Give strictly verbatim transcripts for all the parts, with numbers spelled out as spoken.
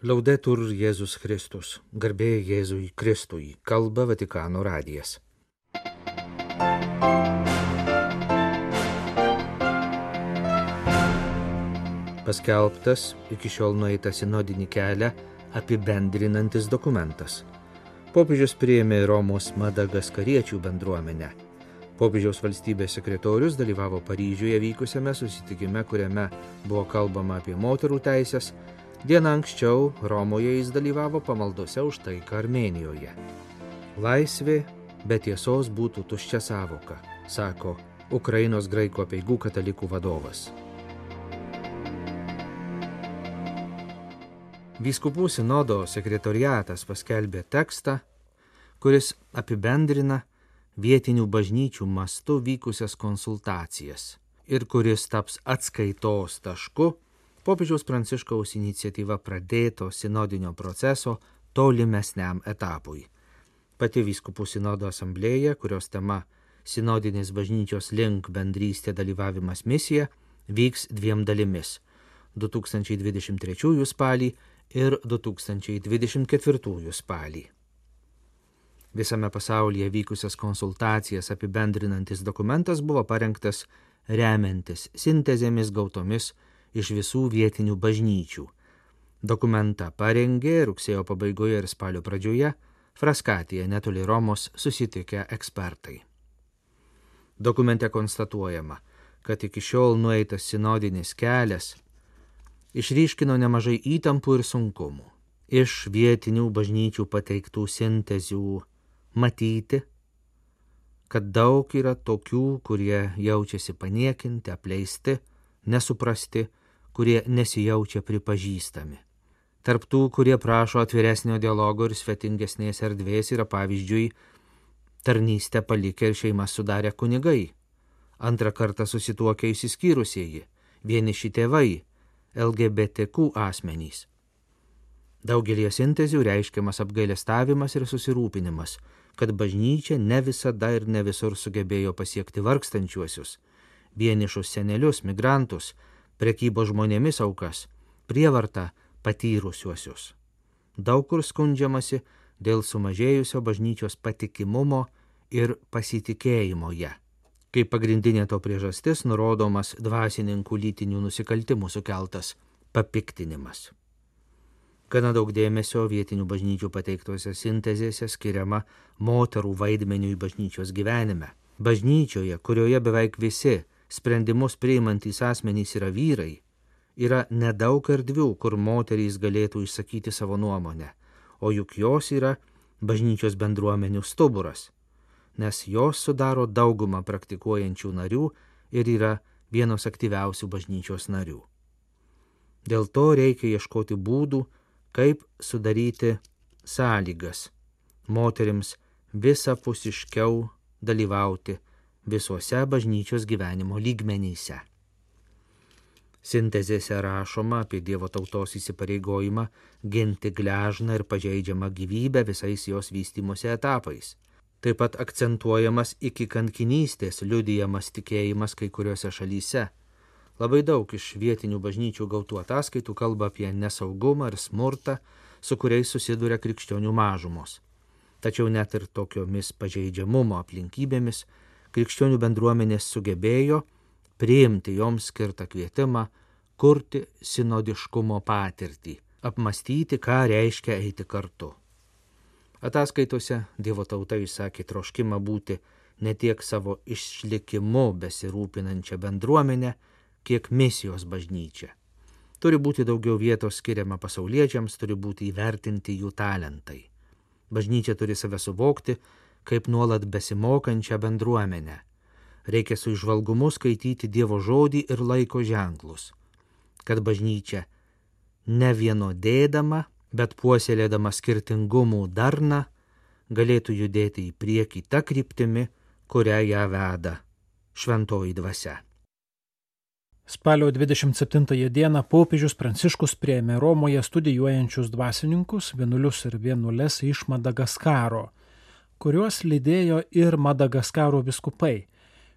Laudetur Jėzus Kristus, garbė Jėzui Kristui, kalba Vatikano radijas. Paskelbtas iki šiol nueitą sinodinį kelią apibendrinantis dokumentas. Popiežius priėmė Romos madagaskariečių bendruomenę. Popiežiaus valstybės sekretorius dalyvavo Paryžiuje vykusiame susitikime, kuriame buvo kalbama apie moterų teisės. Dieną anksčiau Romoje jis dalyvavo pamaldose už taiką Armėnijoje. Laisvė be tiesos būtų tuščia sąvoka, sako Ukrainos graikų apeigų katalikų vadovas. Vyskupų sinodo sekretoriatas paskelbė tekstą, kuris apibendrina vietinių bažnyčių mastu vykusias konsultacijas ir kuris taps atskaitos tašku Popiežiaus Pranciškaus iniciatyva pradėto sinodinio proceso tolimesniam etapui. Pati vyskupų sinodo asamblėja, kurios tema sinodinis bažnyčios link bendrystė dalyvavimas misija, vyks dviem dalimis – du tūkstančiai dvidešimt trečiųjų spalį ir du tūkstančiai dvidešimt ketvirtųjų spalį. Visame pasaulyje vykusias konsultacijas apibendrinantis dokumentas buvo parengtas remiantis sintezėmis gautomis iš visų vietinių bažnyčių. Dokumentą parengė rugsėjo pabaigoje ir spalio pradžioje Fraskatėje netoli Romos susitikę ekspertai. Dokumente konstatuojama, kad iki šiol nueitas sinodinis kelias išryškino nemažai įtampų ir sunkumų. Iš vietinių bažnyčių pateiktų sintezių matyti, kad daug yra tokių, kurie jaučiasi paniekinti, apleisti, nesuprasti, kurie nesijaučia pripažįstami. Tarp tų, kurie prašo atviresnio dialogo ir svetingesnės erdvės, yra pavyzdžiui tarnystę palikę ir šeimas sudarę kunigai, antrą kartą susituokę išsiskyrusieji, vieniši tėvai, L G B T Q asmenys. Daugelį sintezių reiškiamas apgailestavimas ir susirūpinimas, kad bažnyčia ne visada ir ne visur sugebėjo pasiekti vargstančiuosius, vienišus senelius, migrantus, prekybos žmonėmis aukas, prievartą patyrusiuosius. Daug kur skundžiamasi dėl sumažėjusio bažnyčios patikimumo ir pasitikėjimo ją. Kaip pagrindinė to priežastis nurodomas dvasininkų lytinių nusikaltimų sukeltas papiktinimas. Gana daug dėmesio vietinių bažnyčių pateiktose sintezėse skiriama moterų vaidmeniui bažnyčios gyvenime. Bažnyčioje, kurioje beveik visi sprendimus priimantys asmenys yra vyrai, yra nedaug erdvių, kur moterys galėtų išsakyti savo nuomonę, o juk jos yra bažnyčios bendruomenių stuburas, nes jos sudaro daugumą praktikuojančių narių ir yra vienos aktyviausių bažnyčios narių. Dėl to reikia ieškoti būdų, kaip sudaryti sąlygas moterims visapusiškiau dalyvauti visuose bažnyčios gyvenimo lygmenyse. Sintezėse rašoma apie Dievo tautos įsipareigojimą ginti gležną ir pažeidžiamą gyvybę visais jos vystymosi etapais. Taip pat akcentuojamas iki kankinystės liudijamas tikėjimas kai kuriuose šalyse. Labai daug iš vietinių bažnyčių gautų ataskaitų kalba apie nesaugumą ir smurtą, su kuriais susiduria krikščionių mažumos. Tačiau net ir tokiomis pažeidžiamumo aplinkybėmis krikščionių bendruomenės sugebėjo priimti joms skirtą kvietimą kurti sinodiškumo patirtį, apmastyti, ką reiškia eiti kartu. Ataskaitose Dievo tauta išsakė troškimą būti ne tiek savo išlikimu besirūpinančią bendruomenę, kiek misijos bažnyčia. Turi būti daugiau vietos skiriama pasauliečiams, turi būti įvertinti jų talentai. Bažnyčia turi save suvokti kaip nuolat besimokančią bendruomenę. Reikia su įžvalgumu skaityti Dievo žodį ir laiko ženklus, kad bažnyčia ne vienodėdama, bet puoselėdama skirtingumų darną, galėtų judėti į priekį tą kryptimi, kurią ją veda šventoji dvasia. Spalio dvidešimt septintąją dieną popiežius Pranciškus priėmė Romoje studijuojančius dvasininkus, vienuolius ir vienuoles iš Madagaskaro, kuriuos lydėjo ir Madagaskaro vyskupai,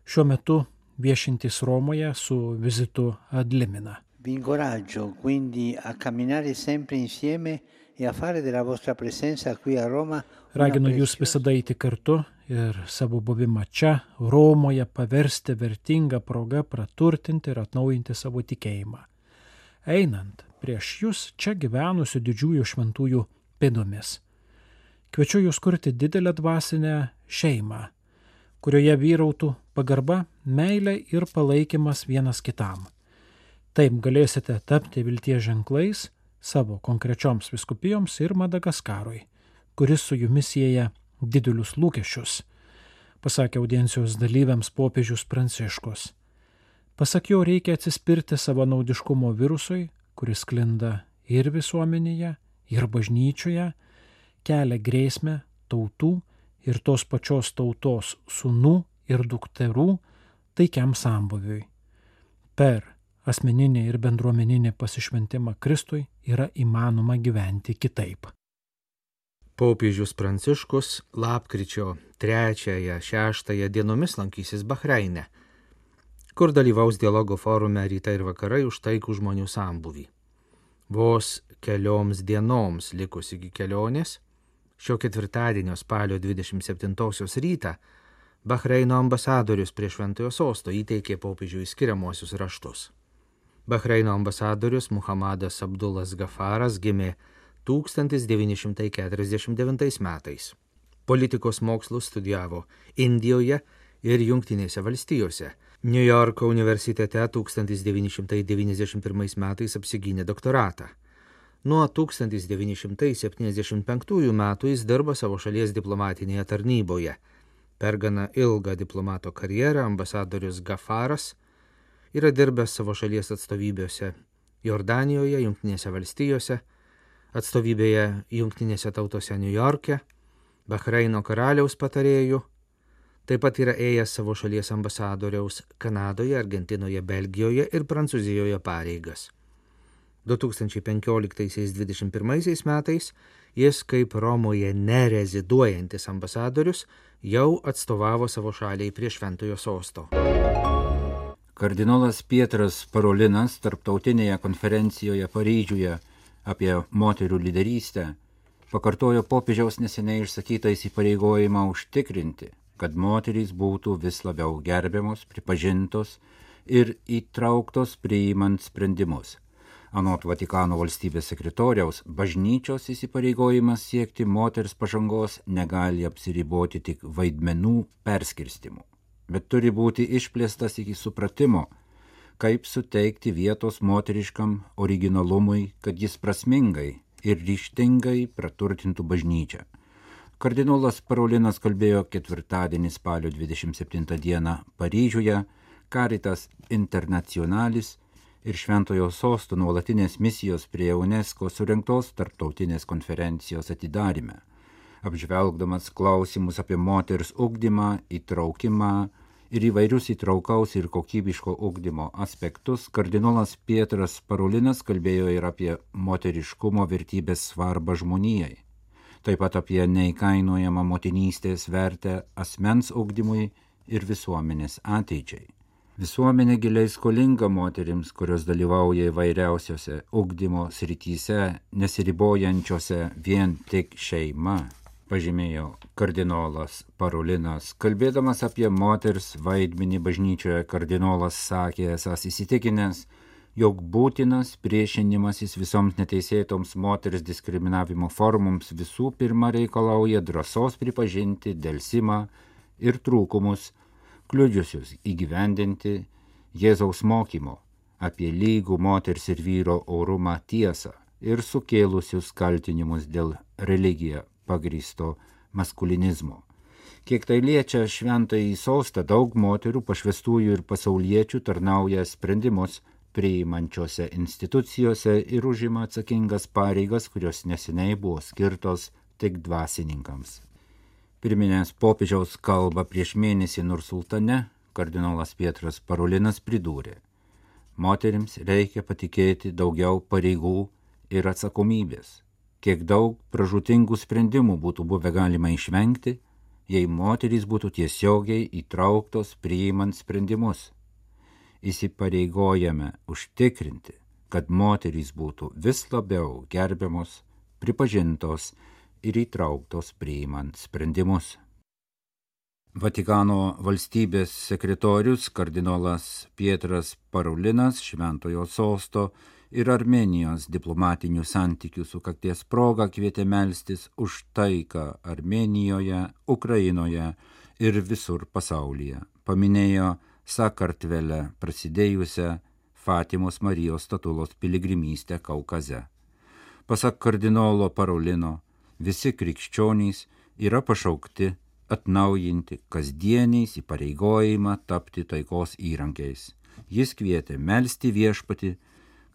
šiuo metu viešintys Romoje su vizitu ad limina. Vi incoraggio quindi a camminare sempre insieme e a fare della vostra presenza qui a Roma. Raginu jūs visada eiti kartu ir savo buvimą čia, Romoje, paversti vertingą progą praturtinti ir atnaujinti savo tikėjimą. Einant prieš jūs čia gyvenusių didžiųjų šventųjų pėdomis. Kviečiu jūs kurti didelę dvasinę šeimą, kurioje vyrautų pagarba, meilė ir palaikymas vienas kitam. Taip galėsite tapti vilties ženklais savo konkrečioms vyskupijoms ir Madagaskarui, kuris su jumis sieja didelius lūkesčius, pasakė audiencijos dalyviams popiežius Pranciškus. Pasak jo, reikia atsispirti savanaudiškumo virusui, kuris sklinda ir visuomenėje, ir bažnyčioje, kelia grėsmę tautų ir tos pačios tautos sūnų ir dukterų taikiam sambuviui. Per asmeninį ir bendruomeninį pasišventimą Kristui yra įmanoma gyventi kitaip. Popiežius Pranciškus lapkričio trečiąją šeštąją dienomis lankysis Bahreine, kur dalyvaus dialogo forume Rytai ir vakarai už taikų žmonių sambuvį. Vos kelioms dienoms likus iki kelionės, šio ketvirtadienio spalio dvidešimt septintosios rytą, Bahreino ambasadorius prie Šventojo sosto įteikė popiežiui skiriamuosius raštus. Bahreino ambasadorius Muhammadas Abdullas Gafaras gimė tūkstantis devyni šimtai keturiasdešimt devintais metais. Politikos mokslus studijavo Indijoje ir Jungtinėse valstijose. Niujorko universitete tūkstantis devyni šimtai devyniasdešimt pirmais metais apsigynė doktoratą. Nuo tūkstantis devyni šimtai septyniasdešimt penktųjų metų jis dirbo savo šalies diplomatinėje tarnyboje. Per gana ilgą diplomato karjerą ambasadorius Gafaras yra dirbęs savo šalies atstovybėse Jordanijoje, Jungtinėse valstijose, atstovybėje Jungtinėse tautose Niujorke, Bahreino karaliaus patarėjų, taip pat yra ėjęs savo šalies ambasadoriaus Kanadoje, Argentinoje, Belgijoje ir Prancūzijoje pareigas. du tūkstančiai penkioliktaisiais dvidešimt pirmaisiais metais jis kaip Romoje nereziduojantis ambasadorius jau atstovavo savo šaliai prie Šventojo sosto. Kardinolas Pietras Parolinas tarptautinėje konferencijoje Paryžiuje apie moterų lyderystę pakartojo popiežiaus neseniai išsakytą įsipareigojimą užtikrinti, kad moterys būtų vis labiau gerbiamos, pripažintos ir įtrauktos priimant sprendimus. Anot Vatikano valstybės sekretoriaus, bažnyčios įsipareigojimas siekti moters pažangos negali apsiriboti tik vaidmenų perskirstimu, bet turi būti išplėstas iki supratimo, kaip suteikti vietos moteriškam originalumui, kad jis prasmingai ir ryžtingai praturtintų bažnyčią. Kardinolas Parolinas kalbėjo ketvirtadienį spalio dvidešimt septintą dieną Paryžiuje Caritas Internationalis ir Šventojo sosto nuolatinės misijos prie UNESCO surengtos tarptautinės konferencijos atidaryme. Apžvelgdamas klausimus apie moters ugdymą, įtraukimą ir įvairius įtraukaus ir kokybiško ugdymo aspektus, kardinolas Pietras Parolinas kalbėjo ir apie moteriškumo vertybės svarbą žmonijai, taip pat apie neįkainojamą motinystės vertę asmens ugdymui ir visuomenės ateičiai. Visuomenė giliai skolinga moterims, kurios dalyvauja įvairiausiose ugdymo srityse, nesiribojančiose vien tik šeima, pažymėjo kardinolas Parolinas. Kalbėdamas apie moters vaidmenį bažnyčioje, kardinolas sakė esąs įsitikinęs, jog būtinas priešinimasis visoms neteisėtoms moters diskriminavimo formoms visų pirma reikalauja drąsos pripažinti delsimą ir trūkumus, kliudžiusius įgyvendinti Jėzaus mokymo apie lygų moters ir vyro orumą tiesą ir sukėlusius kaltinimus dėl religiją pagrįsto maskulinizmo. Kiek tai liečia šventąjį sostą, daug moterų pašvestųjų ir pasauliečių tarnauja sprendimus priimančiose institucijose ir užima atsakingas pareigas, kurios neseniai buvo skirtos tik dvasininkams. Pirminės popiežiaus kalbą prieš mėnesį Nursultane kardinolas Pietras Parolinas pridūrė: moterims reikia patikėti daugiau pareigų ir atsakomybės. Kiek daug pražūtingų sprendimų būtų buvę galima išvengti, jei moterys būtų tiesiogiai įtrauktos priimant sprendimus. Įsipareigojame užtikrinti, kad moterys būtų vis labiau gerbiamos, pripažintos ir įtrauktos priimant sprendimus. Vatikano valstybės sekretorius kardinolas Pietras Paraulinas Šventojo sosto ir Armėnijos diplomatinių santykių sukakties proga kvietė melstis už taiką Armėnijoje, Ukrainoje ir visur pasaulyje. Paminėjo Sakartvele prasidėjusią Fatimos Marijos statulos piligrimystę Kaukaze. Pasak kardinolo Paraulino, visi krikščionys yra pašaukti atnaujinti kasdieniais įpareigojimą tapti taikos įrankiais. Jis kvietė melsti viešpatį,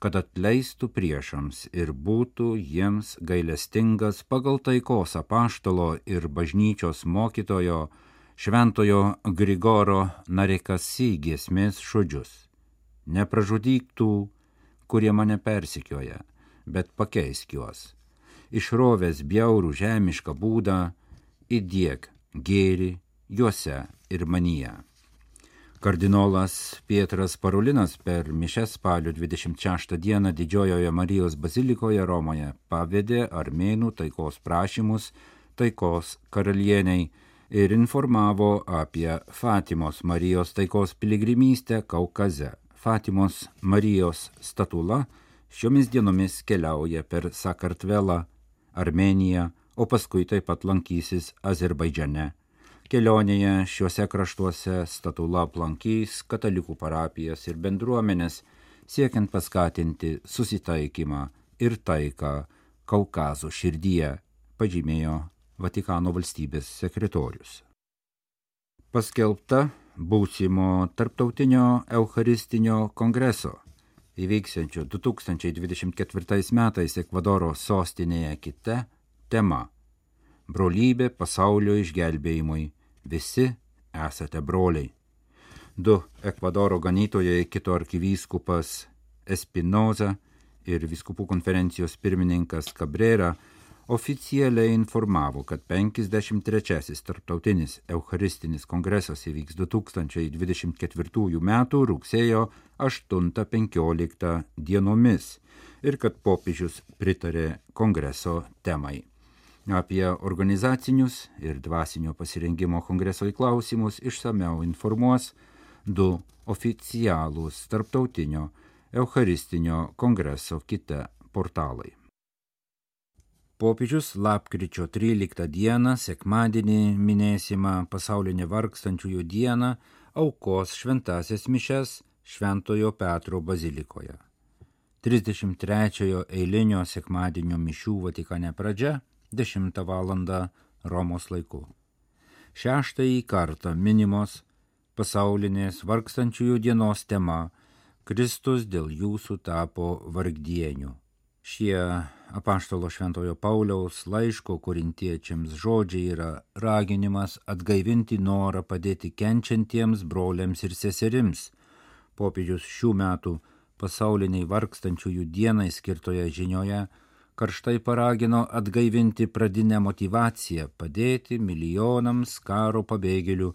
kad atleistų priešams ir būtų jiems gailestingas pagal taikos apaštalo ir bažnyčios mokytojo Šventojo Grigoro Narekasi giesmės žodžius. Nepražudyk tų, kurie mane persekioja, bet pakeisk juos. Išrovęs bjaurų žemišką būdą, įdiek gėrį juose ir manyje. Kardinolas Pietras Paraulinas per mišias spalio dvidešimt šeštą dieną Didžiojoje Marijos bazilikoje Romoje pavedė armėnų taikos prašymus taikos karalieniai ir informavo apie Fatimos Marijos taikos piligrimystę Kaukaze. Fatimos Marijos statula šiomis dienomis keliauja per Sakartvelą, Armėniją, o paskui taip pat lankysis Azerbaidžane. Kelionėje šiuose kraštuose statula aplankys katalikų parapijas ir bendruomenės, siekiant paskatinti susitaikymą ir taiką Kaukazo širdyje, pažymėjo Vatikano valstybės sekretorius. Paskelbta būsimo tarptautinio Eucharistinio kongreso, įvyksiančio du tūkstančiai dvidešimt ketvirtais metais Ekvadoro sostinėje Kite, tema – brolybė pasaulio išgelbėjimui, visi esate broliai. Du Ekvadoro ganytojai, Kito arkivyskupas Espinoza ir vyskupų konferencijos pirmininkas Cabrera oficialiai informavo, kad penkiasdešimt trečiasis tarptautinis Eucharistinis kongresas įvyks du tūkstančiai dvidešimt ketvirtųjų metų rugsėjo aštuntą penkioliktą dienomis ir kad popiežius pritarė kongreso temai. Apie organizacinius ir dvasinio pasirengimo kongreso klausimus išsamiau informuos du oficialūs tarptautinio Eucharistinio kongreso Kite portalai. Popiežius lapkričio tryliktą dieną, sekmadienį minėsimą pasaulinę vargstančiųjų dieną, aukos šventąsias mišias Šventojo Petro bazilikoje. trisdešimt trečiojo eilinio sekmadienio mišių Vatikane pradžia dešimtą valandą Romos laiku. Šeštąjį kartą minimos pasaulinės vargstančiųjų dienos tema Kristus dėl jūsų tapo vargdieniu. Šie apaštalo Šventojo Pauliaus laiško korintiečiams žodžiai yra raginimas atgaivinti norą padėti kenčiantiems broliams ir seserims. Popiežius šių metų pasauliniai vargstančiųjų dienai skirtoje žinioje karštai paragino atgaivinti pradinę motyvaciją padėti milijonams karo pabėgėlių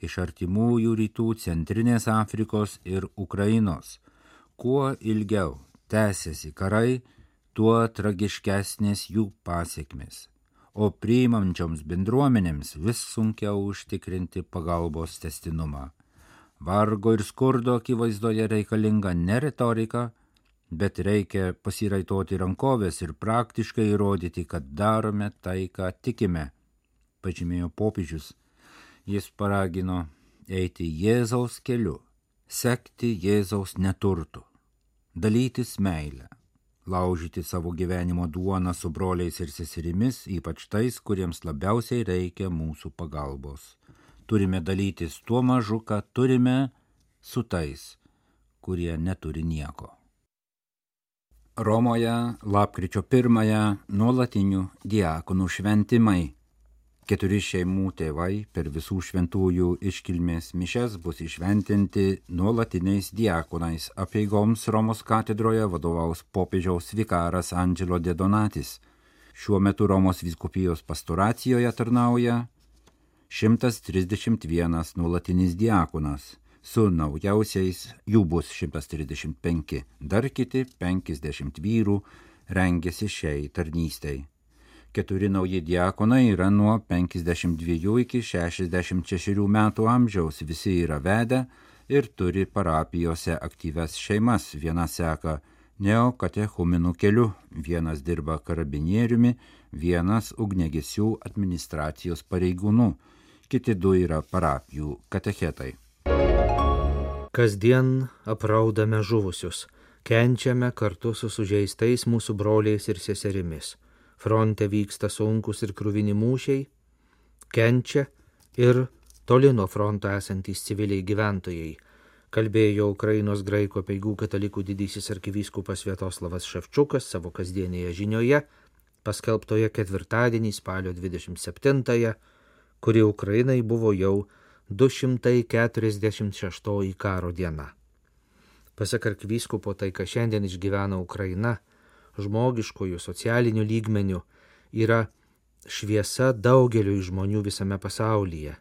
iš artimųjų rytų, Centrinės Afrikos ir Ukrainos. Kuo ilgiau tęsiasi karai, tuo tragiškesnės jų pasiekmės, o priimančioms bendruomenėms vis sunkiau užtikrinti pagalbos testinumą. Vargo ir skurdo akivaizdoje reikalinga ne retorika, bet reikia pasiraitoti rankovės ir praktiškai įrodyti, kad darome tai, ką tikime, pažymėjo popiežius. Jis paragino eiti Jėzaus keliu, sekti Jėzaus neturtu, dalytis meilę, laužyti savo gyvenimo duoną su broliais ir seserimis, ypač tais, kuriems labiausiai reikia mūsų pagalbos. Turime dalytis tuo mažu, ką turime, su tais, kurie neturi nieko. Romoje lapkričio pirmąją nuolatinių diakonų šventimai. Keturi šeimų tėvai per visų šventųjų iškilmės mišias bus išventinti nuolatiniais diakonais. Apeigoms Romos katedroje vadovaus popiežiaus vikaras Angelo de Donatis. Šiuo metu Romos vyskupijos pastoracijoje tarnauja šimtas trisdešimt vienas nuolatinis diakonas. su naujausiais jų bus šimtas trisdešimt penki, dar kiti penkiasdešimt vyrų rengiasi šiai tarnystei. Keturi nauji diakonai yra nuo penkiasdešimt dviejų iki šešiasdešimt šešių metų amžiaus, visi yra vedę ir turi parapijose aktyves šeimas, viena seka neokatechumenų keliu, vienas dirba karabinieriumi, vienas ugniagesių administracijos pareigūnų, kiti du yra parapijų katechetai. Kasdien apraudame žuvusius, kenčiame kartu su sužeistais mūsų broliais ir seserimis. Fronte vyksta sunkus ir kruvini mūšiai, kenčia ir toli nuo fronto esantys civiliai gyventojai, kalbėjo Ukrainos graikų apeigų katalikų didysis arkivyskupas Sviatoslavas Ševčukas savo kasdienėje žinioje, paskelbtoje ketvirtadienį spalio dvidešimt septintąją, kuri Ukrainai buvo jau du šimtai keturiasdešimt šeštoji karo diena. Pasak arkivyskupo, tai, ką šiandien išgyvena Ukraina, žmogiškojų socialinių lygmenių, yra šviesa daugeliu žmonių visame pasaulyje,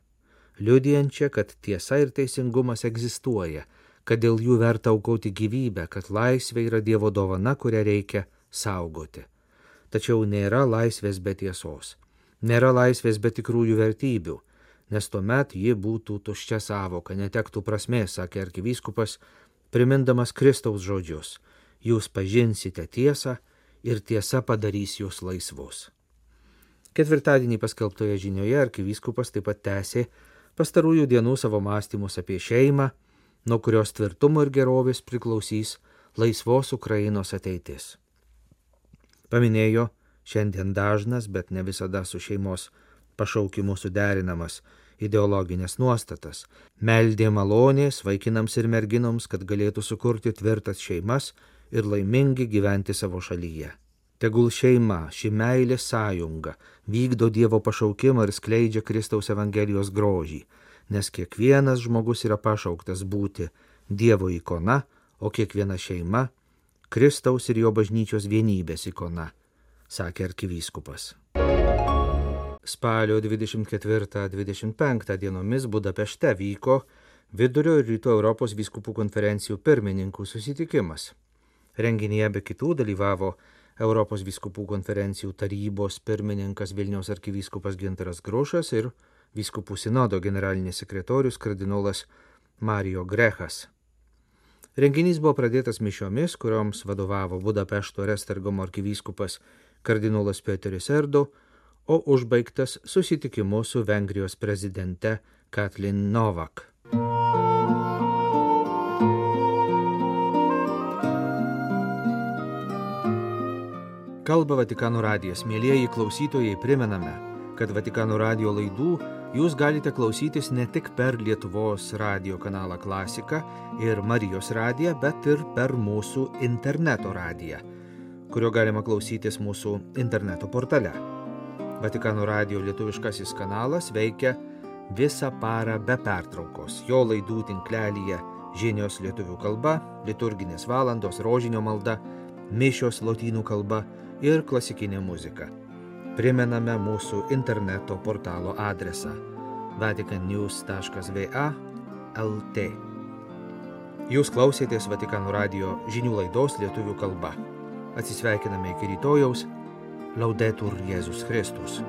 liudijančia, kad tiesa ir teisingumas egzistuoja, kad dėl jų verta aukoti gyvybę, kad laisvė yra Dievo dovana, kurią reikia saugoti. Tačiau nėra laisvės be tiesos, nėra laisvės be tikrųjų vertybių, nes tuomet ji būtų tuščia sąvoka, netektų prasmės, sakė arkivyskupas, primindamas Kristaus žodžius: jūs pažinsite tiesą ir tiesa padarys jūs laisvus. Ketvirtadienį paskelbtoje žinioje arkivyskupas taip pat tęsė pastarųjų dienų savo mąstymus apie šeimą, nuo kurios tvirtumo ir gerovės priklausys laisvos Ukrainos ateitis. Paminėjo šiandien dažnas, bet ne visada su šeimos pašaukimu suderinamas ideologinės nuostatas, meldė malonės vaikinams ir merginoms, kad galėtų sukurti tvirtas šeimas ir laimingi gyventi savo šalyje. Tegul šeima, ši meilės sąjunga, vykdo Dievo pašaukimą ir skleidžia Kristaus Evangelijos grožį, nes kiekvienas žmogus yra pašauktas būti Dievo ikona, o kiekviena šeima Kristaus ir jo bažnyčios vienybės ikona, sakė arkivyskupas. Spalio dvidešimt ketvirtą dvidešimt penktą dienomis Budapešte vyko Vidurio ir Rytų Europos vyskupų konferencijų pirmininkų susitikimas. Renginyje be kitų dalyvavo Europos vyskupų konferencijų tarybos pirmininkas Vilniaus arkivyskupas Gintaras Grušas ir vyskupų sinodo generalinis sekretorius kardinolas Mario Grechas. Renginys buvo pradėtas mišiomis, kurioms vadovavo Budapešto ir Esztergomo arkivyskupas kardinolas Peteris Erdo, o užbaigtas susitikimu su Vengrijos prezidente Katlin Novak. Kalba Vatikano radijas. Mielieji klausytojai, primename, kad Vatikano radijo laidų jūs galite klausytis ne tik per Lietuvos radijo kanalą Klasika ir Marijos radiją, bet ir per mūsų interneto radiją, kurio galima klausytis mūsų interneto portale. Vatikano radijo lietuviškasis kanalas veikia visą parą be pertraukos. Jo laidų tinklelyje žinios lietuvių kalba, liturginės valandos, rožinio malda, mišios lotynų kalba ir klasikinė muzika. Primename mūsų interneto portalo adresą vatican news taškas v a taškas l t. Jūs klausėtės Vatikano radijo žinių laidos lietuvių kalba. Atsisveikiname iki rytojaus. Laudetur Jėzus Kristus.